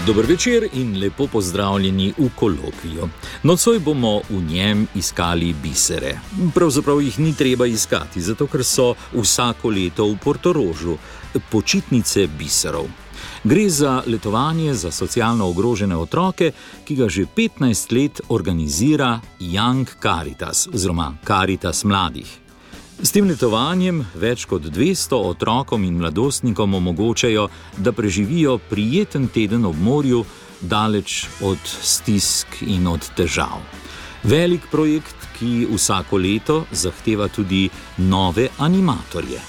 Dober večer in lepo pozdravljeni v kolokviju. Nocoj bomo v njem iskali bisere. Pravzaprav jih ni treba iskati, zato ker so vsako leto v Portorožu počitnice biserov. Gre za letovanje za socialno ogrožene otroke, ki ga že 15 let organizira Young Caritas oziroma Caritas mladih. S tem letovanjem več kot 200 otrokom in mladostnikom omogočajo, da preživijo prijeten teden ob morju, daleč od stisk in od težav. Velik projekt, ki vsako leto zahteva tudi nove animatorje.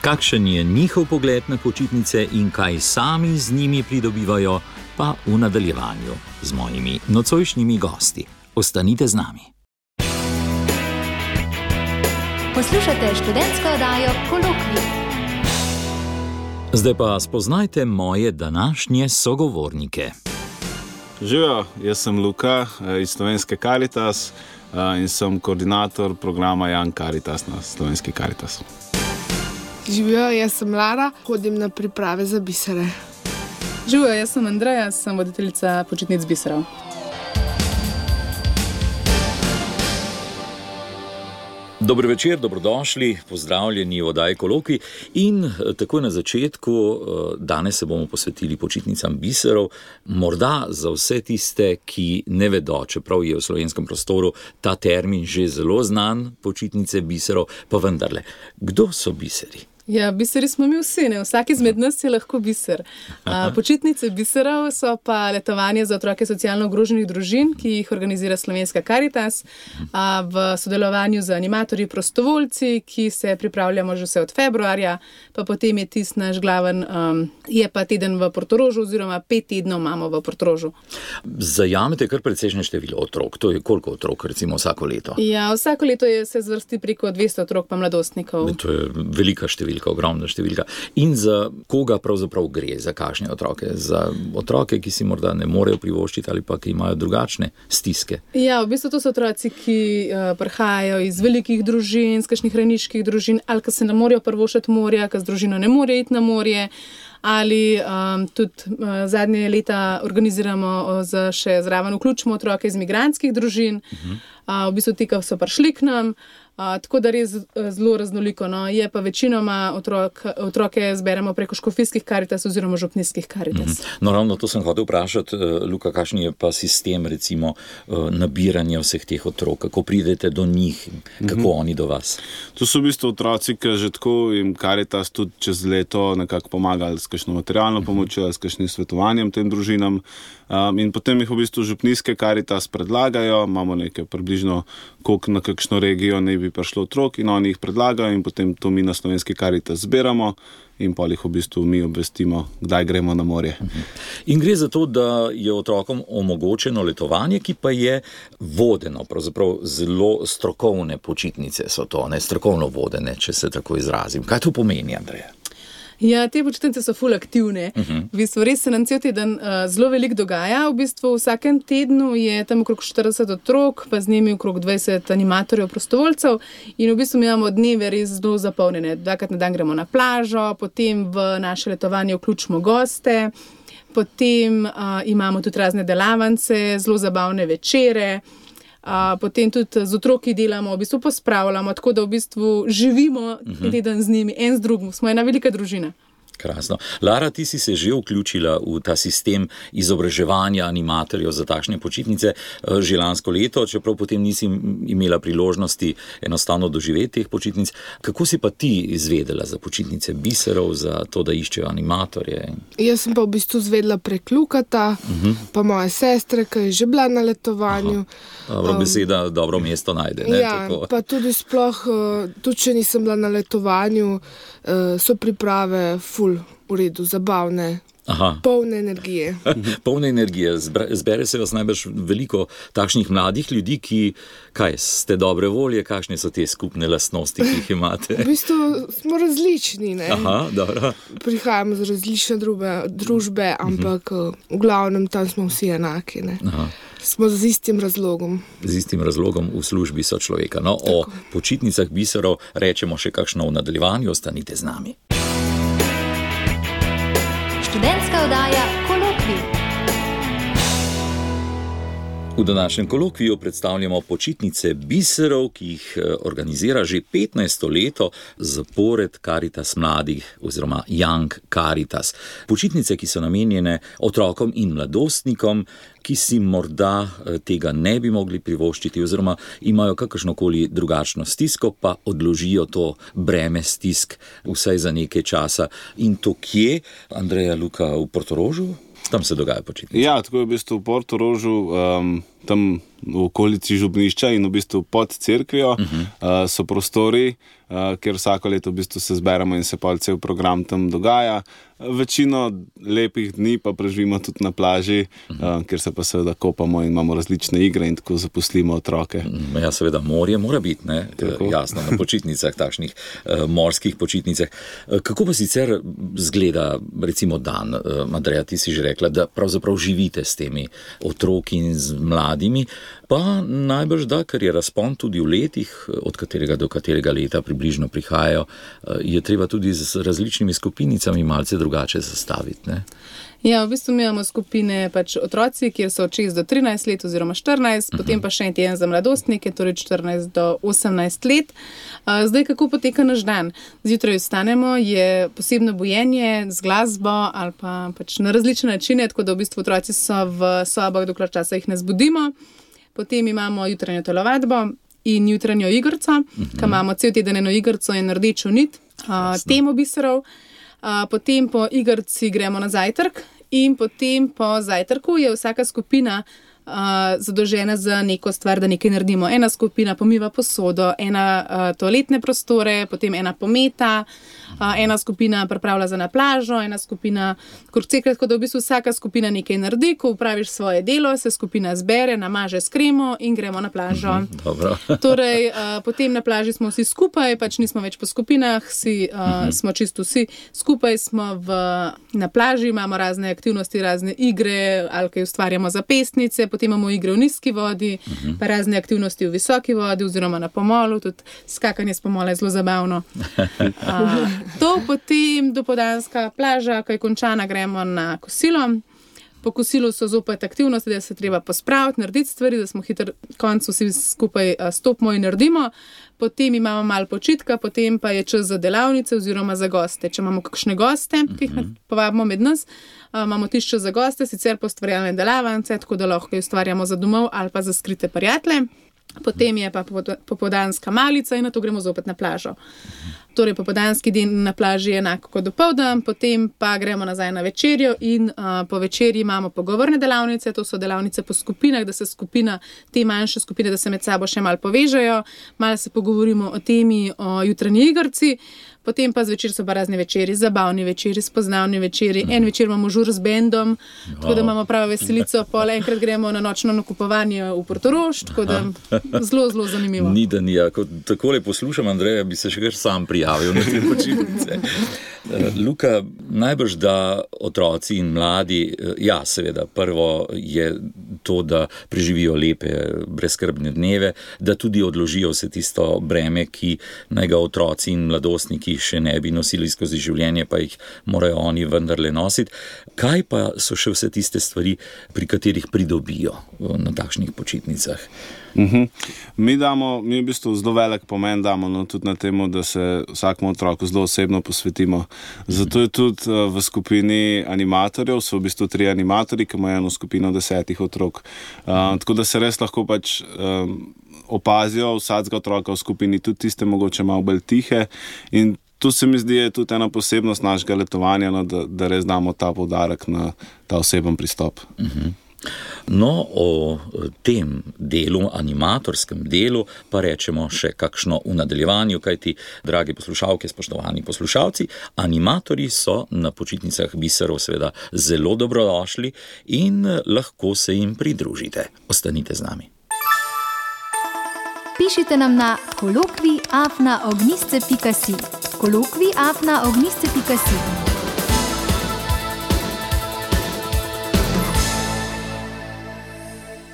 Kakšen je njihov pogled na počitnice in kaj sami z njimi pridobivajo, pa v nadaljevanju z mojimi nocojšnjimi gosti. Ostanite z nami. Poslušate študentsko oddajo Kolokvij. Zdaj pa spoznajte moje današnje sogovornike. Živijo, jaz sem Luka iz Slovenske Caritas in sem koordinator programa Young Caritas na Slovenski Caritas. Živijo, jaz sem Lara, hodim na priprave za bisere. Živijo, jaz sem Andreja, sem voditeljica počitnic biserov. Dober večer, dobrodošli, pozdravljeni v oddaji Kolokvij in takoj na začetku, danes se bomo posvetili počitnicam biserov, morda za vse tiste, ki ne vedo, čeprav je v slovenskem prostoru ta termin že zelo znan, počitnice biserov, pa vendarle, kdo so biseri? Ja, biseri smo mi vsi, ne? Vsak izmed nas je lahko biser. Počitnice biserov so pa letovanje za otroke socialno ogroženih družin, ki jih organizira Slovenska Caritas v sodelovanju z animatorji prostovoljci, ki se pripravljamo že vse od februarja, pa potem je tisti naš glaven, je pa teden v Portorožu oziroma 5 tednov imamo v Portorožu. Zajamete kar precejšnje število otrok, to je koliko otrok recimo vsako leto? Ja, vsako leto se zvrsti preko 200 otrok pa mladostnikov. To je velika številka. Ogromna številka. In za koga pravzaprav gre, za kakšne otroke? Za otroke, ki si morda ne morejo privoščiti ali pa ki imajo drugačne stiske? Ja, v bistvu to so otroci, ki prihajajo iz velikih družin, iz kakšnih rejniških družin, ali ki se ne morejo privoščiti morja, ki z družino ne morejo iti na morje, ali tudi zadnje leta organiziramo še zraven vključimo otroke iz migrantskih družin, v bistvu ti, ki so prišli k nam. Tako da res zelo raznoliko, no. Je pa večinoma otroke zberemo preko škofijskih Caritas oziroma župnijskih Caritas. No, ravno to sem hotel vprašati, Luka, kakšen je pa sistem recimo nabiranja vseh teh otrok, kako pridete do njih, kako oni do vas? To so v bistvu otroci, ki že tako jim Caritas tudi čez leto nekako pomagali s kakšno materialno pomočjo, s kakšnim svetovanjem tem družinam. In potem jih v bistvu župnijske Caritas predlagajo, imamo nekaj približno, koliko na kakšno regijo ne bi prišlo otrok in oni jih predlagajo in potem to mi na Slovenski Caritas zberamo in pa jih v bistvu mi obvestimo, kdaj gremo na morje. In gre za to, da je otrokom omogočeno letovanje, ki pa je vodeno, pravzaprav zelo strokovne počitnice so to, ne strokovno vodene, če se tako izrazim. Kaj to pomeni, Andreja? Ja, te počitnice so ful aktivne. V bistvu res se nam cel teden zelo veliko dogaja. V bistvu vsakem tednu je tam okrog 40 otrok, pa z njimi okrog 20 animatorjev prostovoljcev in v bistvu mi imamo dneve res zelo zapolnjene. 2krat na dan gremo na plažo, potem v naše letovanje vključimo goste, potem imamo tudi razne delavnice, zelo zabavne večere. Potem tudi z otroki delamo, v bistvu pospravljamo, tako da v bistvu živimo teden z njimi, en z drugim. Smo ena velika družina. Krasno. Lara, ti si se že vključila v ta sistem izobraževanja animatorjev za takšne počitnice že lansko leto, čeprav potem nisi imela priložnosti enostavno doživeti teh počitnic. Kako si pa ti izvedela za počitnice biserov, za to, da iščejo animatorje? Jaz sem pa v bistvu izvedela prek Lukata, pa moje sestre, ki je že bila na letovanju. Dobro, beseda dobro mesto najde. Ne? Ja, Tako. pa tudi sploh, tudi če nisem bila na letovanju, so priprave ful v redu, zabavne, polne energije. Polne energije. Zbere se vas najbrž veliko takšnih mladih ljudi, ki, kaj, ste dobre volje, kakšne so te skupne lastnosti, ki jih imate? V bistvu smo različni, ne? Dobro. Prihajamo z različne družbe, ampak v glavnem tam smo vsi enaki, ne? smo z istim razlogom. Z istim razlogom v službi sočloveka. No, o počitnicah biserov rečemo še kakšno v nadaljevanju, ostanite z nami. Študentska oddaja Kolokvij. V današnjem kolokviju predstavljamo počitnice biserov, ki jih organizira že 15. leto zapored Karitas mladih oziroma Young Karitas. Počitnice, ki so namenjene otrokom in mladostnikom, ki si morda tega ne bi mogli privoščiti oziroma imajo kakršnokoli drugačno stisko, pa odložijo to breme stisk vsaj za nekaj časa. In to kje, Andreja, Luka, v Portorožu? Tam se dogaja počitnice. Ja, tako je v bistvu v Portorožu, tam v okolici Župnišča in v bistvu pod cerkvijo so prostori, kjer vsako leto v bistvu se zberemo in se pa cel program tam dogaja. Večino lepih dni pa preživimo tudi na plaži, kjer se pa seveda kopamo in imamo različne igre in tako zaposlimo otroke. Ja, seveda, morje mora biti, ne? Jasno, na počitnicah, takšnih morskih počitnicah. Kako pa sicer zgleda, recimo, dan? Andreja, ti si že rekla, da pravzaprav živite s temi otroki in z mladimi, pa najbrž da, ker je razpon tudi v letih, od katerega do katerega leta približno prihajajo, je treba tudi z različnimi skupinicami malce drugače zastaviti, ne? Ja, v bistvu mi imamo skupine otroci, kjer so od 6 do 13 let oziroma 14, potem pa še en teden za mladostnike, torej 14 do 18 let. Zdaj, kako poteka naš dan? Zjutraj vstanemo, je posebno bujenje z glasbo ali pa na različne načine, tako da v bistvu otroci so v sobah, dokler časa jih ne zbudimo. Potem imamo jutranjo telovadbo in jutranjo igrico, ki imamo cel teden eno igrico in rdečo nit, temo biserov. Potem po igrici gremo na zajtrk in potem po zajtrku je vsaka skupina zadolžena za neko stvar, da nekaj naredimo. Ena skupina pomiva posodo, ena toaletne prostore, potem ena pometa, ena skupina pripravlja za na plažo, ena skupina kurceka, tako da v bistvu vsaka skupina nekaj naredi. Ko upraviš svoje delo, se skupina zbere, namaže s kremo in gremo na plažo. Torej, potem na plaži smo vsi skupaj, nismo več po skupinah, smo čisto vsi skupaj, smo na plaži, imamo razne aktivnosti, razne igre, ali kaj ustvarjamo za pesnice, potem imamo igre v nizki vodi, pa razne aktivnosti v visoki vodi oziroma na pomolu, tudi skakanje s pomola je zelo zabavno. To potem dopoldanska plaža, ko je končana, gremo na kosilo. Po kosilu so zopet aktivnosti, da se treba pospraviti, narediti stvari, da smo hitro koncu vsi skupaj stopimo in naredimo. Potem imamo malo počitka, potem pa je čas za delavnice oziroma za goste. Če imamo kakšne goste, ki jih povabimo med nas, imamo tišče za goste, sicer pa ustvarjalne delavnice, tako da lahko jih ustvarjamo za domov ali pa za skrite prijatelje. Potem je pa popoldanska malica in na to gremo zopet na plažo. Torej, popoldanski dan na plaži je enako kot dopoldan, potem pa gremo nazaj na večerjo in po večerji imamo pogovorne delavnice, to so delavnice po skupinah, da se te manjše skupine, da se med sabo še malo povežejo, malo se pogovorimo o temi, o jutranji igrici. Potem pa zvečer so pa razni večeri, zabavni večeri, spoznavni večeri. En večer imamo žur z bendom, tako da imamo pravo veselico. Pol enkrat gremo na nočno nakupovanje v Portorož, tako da zelo, zelo zanimivo. Ni da ni, ko takole poslušam, Andreja, bi se še kar sam prijavil na te počitnice. Luka, najbrž da otroci in mladi, ja, seveda, prvo je to, da preživijo lepe, brezskrbne dneve, da tudi odložijo vse tisto breme, ki naj ga otroci in mladostniki še ne bi nosili skozi življenje, pa jih morajo oni vendarle nositi. Kaj pa so še vse tiste stvari, pri katerih pridobijo na takšnih počitnicah? Mi v bistvu zelo velik pomen damo tudi na temu, da se vsakemu otroku zelo osebno posvetimo. Zato je tudi v skupini animatorjev, so v bistvu 3 animatorji, ki imajo eno skupino 10 otrok. Tako da se res lahko opazijo vsakega otroka v skupini, tudi tiste mogoče malo bolj tihe. In tu se mi zdi, je tudi ena posebnost našega letovanja, da res damo ta poudarek na ta oseben pristop. No, o tem delu, animatorskem delu, pa rečemo še kakšno v nadaljevanju, kajti, dragi poslušalke, spoštovani poslušalci, animatorji so na počitnicah biserov seveda zelo dobrodošli in lahko se jim pridružite. Ostanite z nami. Pišite nam na kolokvij@ognisce.si. kolokvij@ognisce.si.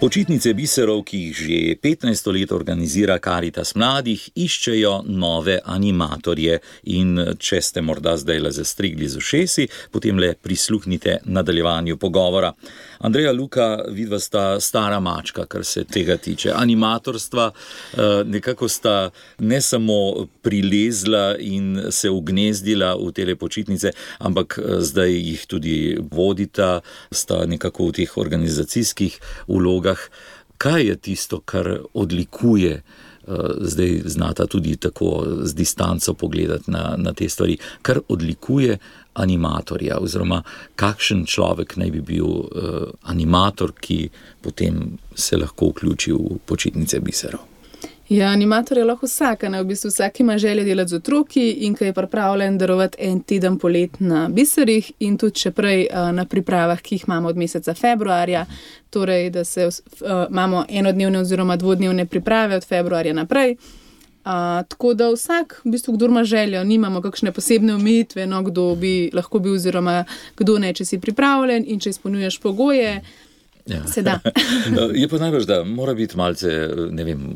Počitnice biserov, ki jih že 15 let organizira Karitas mladih, iščejo nove animatorje in če ste morda zdaj le zastrigli z ušesi, potem le prisluhnite nadaljevanju pogovora. Andreja, Luka, vidva sta stara mačka, kar se tega tiče. Animatorstva nekako sta ne samo prilezla in se ugnezdila v tele počitnice, ampak zdaj jih tudi vodita, sta nekako v teh organizacijskih vlogah. Kaj je tisto, kar odlikuje, zdaj znata tudi tako z distanco pogledati na te stvari, kar odlikuje animatorja, oziroma kakšen človek naj bi bil animator, ki potem se lahko vključi v počitnice biserov? Ja, animator je lahko vsak, v bistvu vsak ima želje delati z otroki in ki je pripravljen darovati en teden polet na biserih in tudi še prej na pripravah, ki jih imamo od meseca februarja, torej da se imamo enodnevne oziroma dvodnevne priprave od februarja naprej. Tako da vsak, v bistvu, kdo ima željo, nimamo kakšne posebne omejitve, kdo bi lahko bil oziroma kdo ne, če si pripravljen in če izpolnjuješ pogoje, se da. Je pa najbolj, da mora biti malce,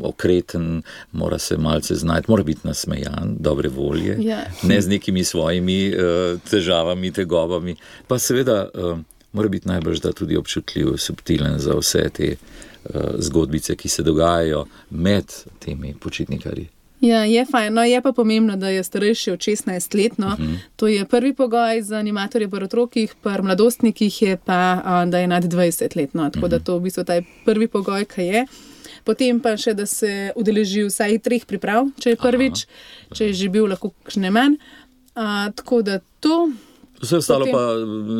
okreten, mora se malce znati, mora biti nasmejan, dobre volje, ne z nekimi svojimi težavami, tegobami. Pa seveda mora biti najbolj, da tudi občutljiv, subtilen za vse te zgodbice, ki se dogajajo med temi počitnikarji. Ja, je fajn. Je pa pomembno, da je starejši od 16 let. To je prvi pogoj za animatorje pri otrokih, pri mladostnikih je pa, da je nad 20 let. Tako da to v bistvu ta prvi pogoj, kaj je. Potem pa še, da se udeleži vsaj 3 priprav, če je prvič, če je že bil lahko kakšne manj. Tako da to... Vse ostalo pa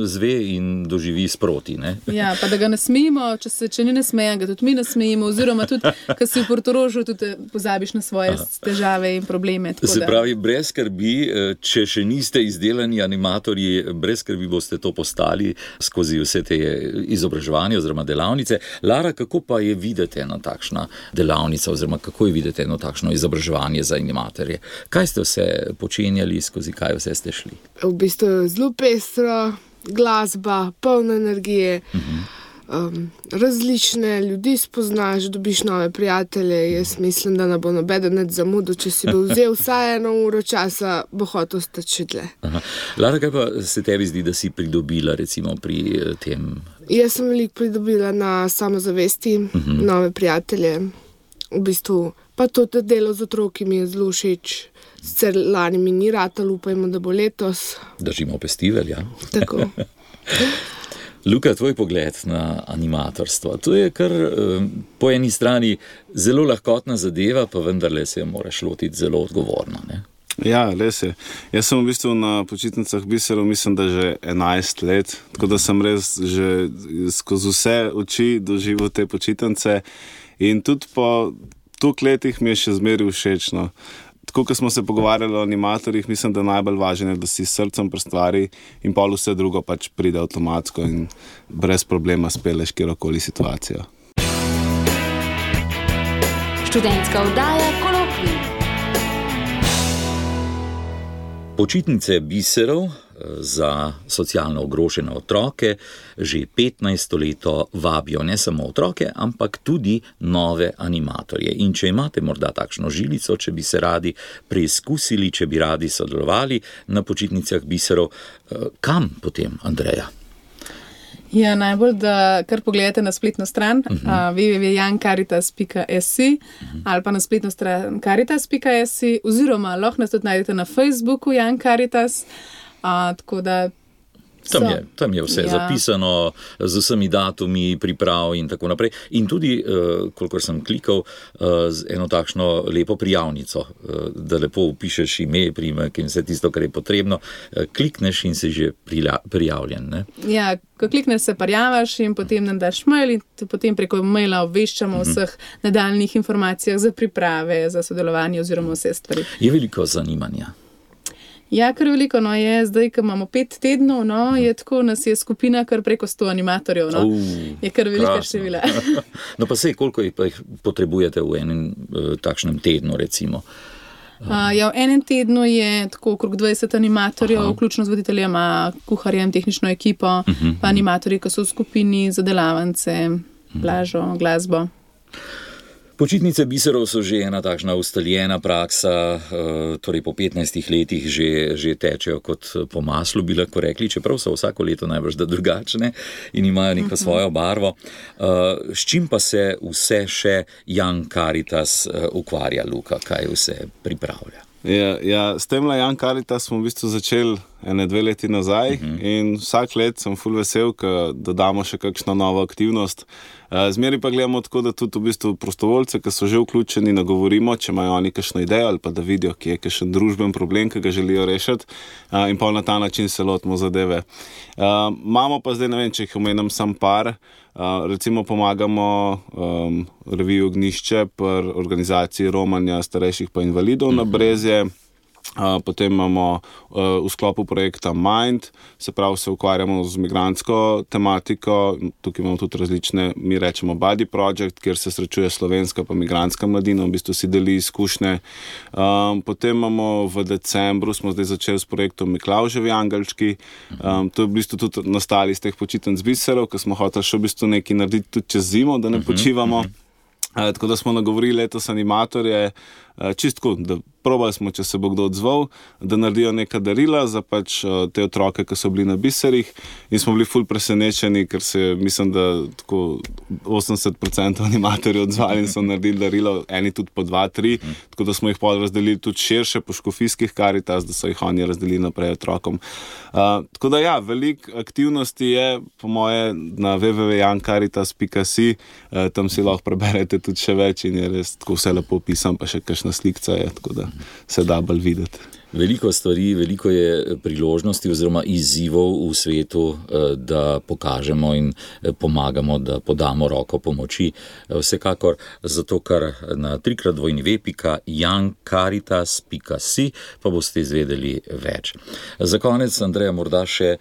zve in doživi sproti, ne? Ja, pa da ga nasmejimo, če ni nasmejan, ga tudi mi nasmejimo, oziroma tudi, ko si v Portorožu, tudi pozabiš na svoje težave in probleme. Se pravi, brez skrbi, če še niste izdelani animatorji, brez skrbi boste to postali skozi vse te izobraževanje oziroma delavnice. Lara, kako pa je videti ena takšna delavnica oziroma kako je videti eno takšno izobraževanje za animatorje? Kaj ste vse počenjali, skozi kaj vse ste šli? V bistvu zelo pestro, glasba, polna energije, različne ljudi spoznaš, dobiš nove prijatelje. Jaz mislim, da ne bo nobeden zamudil, če si bo vzel vsaj 1 uro časa, bo hotel ostati še dlje. Lara, kaj pa se tebi zdi, da si pridobila recimo pri tem? Jaz sem veliko pridobila na samozavesti, nove prijatelje. V bistvu pa to delo z otroki mi je zelo všeč. Sicer lani mi ni ratalo, upajmo, da bo letos. Držimo festival, ja. Tako. Luka, tvoj pogled na animatorstvo. To je kar po eni strani zelo lahkotna zadeva, pa vendarle se jo moraš lotiti zelo odgovorno, ne? Ja, res je. Jaz sem v bistvu na počitnicah biserov, mislim, da že 11 let, tako da sem res že skozi vse oči doživel te počitnice in tudi po toliko letih mi je še zmeraj všečno. Tako, ko smo se pogovarjali o animatorjih, mislim, da najbolj važno je, da si s srcem pri stvari in pol vse drugo pač pride avtomatsko in brez problema speleš kjerokoli situacijo. Študentska oddaja Kolokvij. Počitnice biserov za socialno ogrožene otroke že 15 leto vabijo ne samo otroke, ampak tudi nove animatorje. In če imate morda takšno žilico, če bi se radi preizkusili, če bi radi sodelovali na počitnicah biserov, kam potem, Andreja? Ja, najbolj, da kar pogledate na spletno stran www.jankaritas.si ali pa na spletno stran karitas.si oziroma lahko nas tudi najdete na Facebooku Jan Karitas, tako da Tam je vse zapisano z vsemi datumi, priprav in tako naprej. In tudi, kolikor sem klikal, z eno takšno lepo prijavnico, da lepo upišeš ime, priimek in vse tisto, kar je potrebno, klikneš in si že prijavljen, ne? Ja, ko klikneš se prijavaš in potem nam daš mail in potem preko maila obveščamo o vseh nadaljnih informacijah za priprave, za sodelovanje oziroma vse stvari. Je veliko zanimanja? Ja, kar veliko, je zdaj, ko imamo 5 tednov, je tako, nas je skupina kar preko 100 animatorjev, je kar velika števila. No pa sej, koliko jih potrebujete v enem takšnem tednu, recimo? Ja, v enem tednu je tako okrog 20 animatorjev, vključno z voditeljema, kuharjem, tehnično ekipo, pa animatorji, ki so v skupini za delavance. plažo, glasbo. Počitnice biserov so že ena takšna ustaljena praksa, torej po 15 letih že tečejo kot po maslu, bi lahko rekli, čeprav so vsako leto najbrž da drugačne in imajo neko svojo barvo. S čim pa se vse še Young Caritas ukvarja, Luka, kaj vse pripravlja? Ja, s tem Young Caritas smo v bistvu začeli 1-2 leti nazaj in vsak let sem ful vesel, da dodamo še kakšno novo aktivnost. Zmeri pa gledamo tako, da tudi v bistvu prostovoljce, ki so že vključeni, nagovorimo, če imajo oni kakšno idejo ali pa da vidijo, ki je kakšen družben problem, ki ga želijo rešiti, in pa na ta način se lotimo zadeve. Imamo pa zdaj, ne vem, če jih omenim sam par, recimo pomagamo reviji Ognjišče pri organizaciji romanja starejših pa invalidov na Brezje. Potem imamo v sklopu projekta Mind, se pravi, se ukvarjamo z migrantsko tematiko, tukaj imamo tudi različne, mi rečemo Buddy Project, kjer se srečuje slovenska pa migrantska mladina, v bistvu si deli izkušnje. Potem imamo v decembru, smo zdaj začeli s projektom Miklavževi angelčki, to je v bistvu tudi nastali iz teh počitenc biserov, ker smo hoteli še v bistvu nekaj narediti tudi čez zimo, da ne počivamo. Tako da smo nagovorili letos animatorje, čistko, da probali smo, če se bo kdo odzval, da naredijo neka darila za pač te otroke, ki so bili na biserih, in smo bili ful presenečeni, ker se, mislim, da tako 80% animatorjev odzvali in so naredili darilo, eni tudi po 2-3, tako da smo jih pol razdelili tudi širše po škofijskih Caritas, da so jih oni razdelili naprej otrokom. Tako da ja, veliko aktivnosti je, po moje, na www.youngcaritas.si, tam si lahko preberete tudi še več in je res tako vse lepo opisan, pa še kakšna slikca je, tako da se da bolj videti. Veliko stvari, veliko je priložnosti oziroma izzivov v svetu, da pokažemo in pomagamo, da podamo roko pomoči. Vsekakor zato, ker na www.youngcaritas.si pa boste izvedeli več. Za konec, Andreja, morda še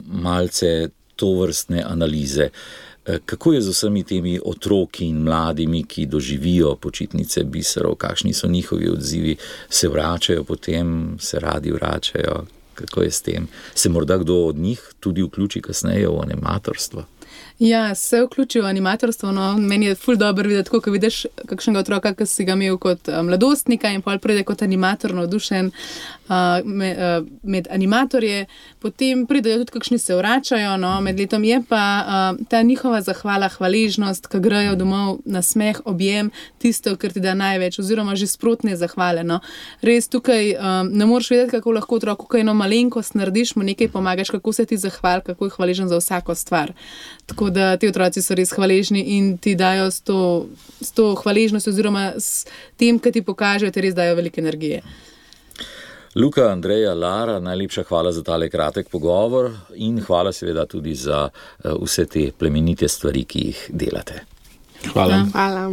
malce tovrstne analize. Kako je z vsemi temi otroki in mladimi, ki doživijo počitnice biserov, kakšni so njihovi odzivi, se vračajo potem, se radi vračajo, kako je s tem? Se morda kdo od njih tudi vključi kasneje v animatorstvo? Ja, se vključi v animatorstvo, no, meni je ful dobro videti, ko vidiš kakšnega otroka, ki si ga imel kot mladostnika in pol pride kot animator navdušen med animatorje, potem pridejo tudi kakšni se vračajo, no, med letom je pa ta njihova zahvala, hvaležnost, ki grejo domov na smeh, objem, tisto, kar ti da največ, oziroma že sprotne zahvale, no. Res tukaj ne moreš vedeti, kako lahko otroku kaj eno malenkost narediš, mu nekaj pomagaš, kako se ti zahval, kako je hvaležen za vsako stvar. Tako da ti otroci so res hvaležni in ti dajo s to hvaležnostjo oziroma s tem, kar ti pokažejo, ti res dajo veliko energije. Luka, Andreja, Lara, najlepša hvala za tale kratek pogovor in hvala seveda tudi za vse te plemenite stvari, ki jih delate. Hvala. Hvala.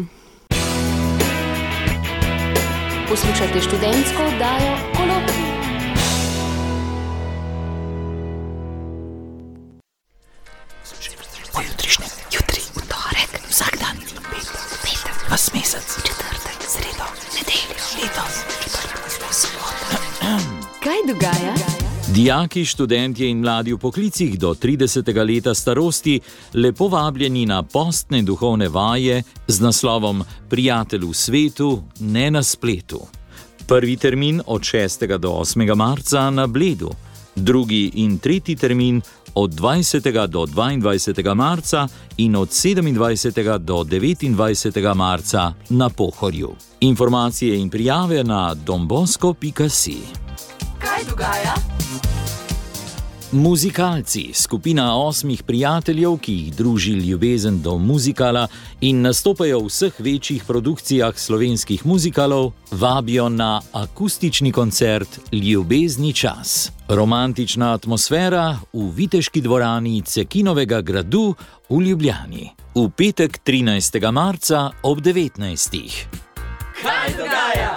Poslušajte študentsko oddajo Kolokvij. Jutri, v torek, vsak dan, petek, vas mesec, četrtek, sredo, nedeljo, letos, sobota. Kaj dogaja? Dijaki, študentje in mladi v poklicih do 30. leta starosti lepo vabljeni na postne duhovne vaje z naslovom Prijatelj v svetu, ne na spletu. Prvi termin od 6. do 8. marca na Bledu, drugi in tretji termin od 20. do 22. marca in od 27. do 29. marca na Pohorju. Informacije in prijave na donbosco.si. Kaj dogaja? Muzikalci, skupina 8 prijateljev, ki jih druži ljubezen do muzikala in nastopajo v vseh večjih produkcijah slovenskih muzikalov, vabijo na akustični koncert Ljubezni čas. Romantična atmosfera v viteški dvorani Cekinovega gradu v Ljubljani. V petek 13. marca ob 19. Kaj dogaja?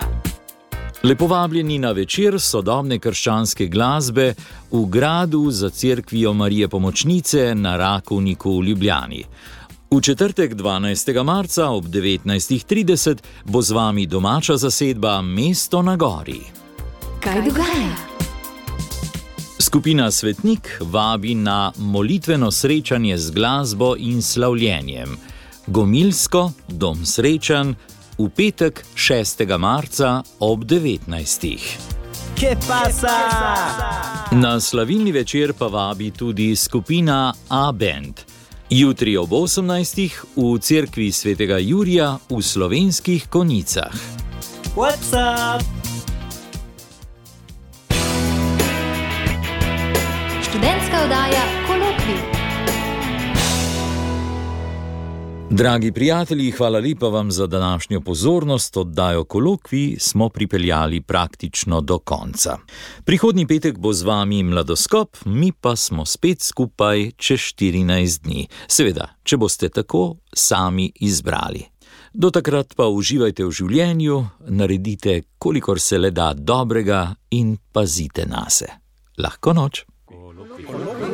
Lepo vabljeni na večer sodobne krščanske glasbe v gradu za cerkvijo Marije Pomočnice na Rakovniku v Ljubljani. V četrtek 12. marca ob 19.30 bo z vami domača zasedba Mesto na gori. Kaj dogaja? Skupina Svetnik vabi na molitveno srečanje z glasbo in slavljenjem. Gomilsko, Dom Srečan, v petek 6. marca ob 19. Na slavilni večer pa vabi tudi skupina A-Band. Jutri ob 18. v cerkvi svetega Jurija v Slovenskih Konjicah. Študentska oddaja Kolokvij. Dragi prijatelji, hvala lepa vam za današnjo pozornost. Oddajo Kolokvij smo pripeljali praktično do konca. Prihodnji petek bo z vami Mladoskop, mi pa smo spet skupaj čez 14 dni. Seveda, če boste tako sami izbrali. Do takrat pa uživajte v življenju, naredite, kolikor se le da dobrega in pazite nase. Lahko noč. Kolokvij.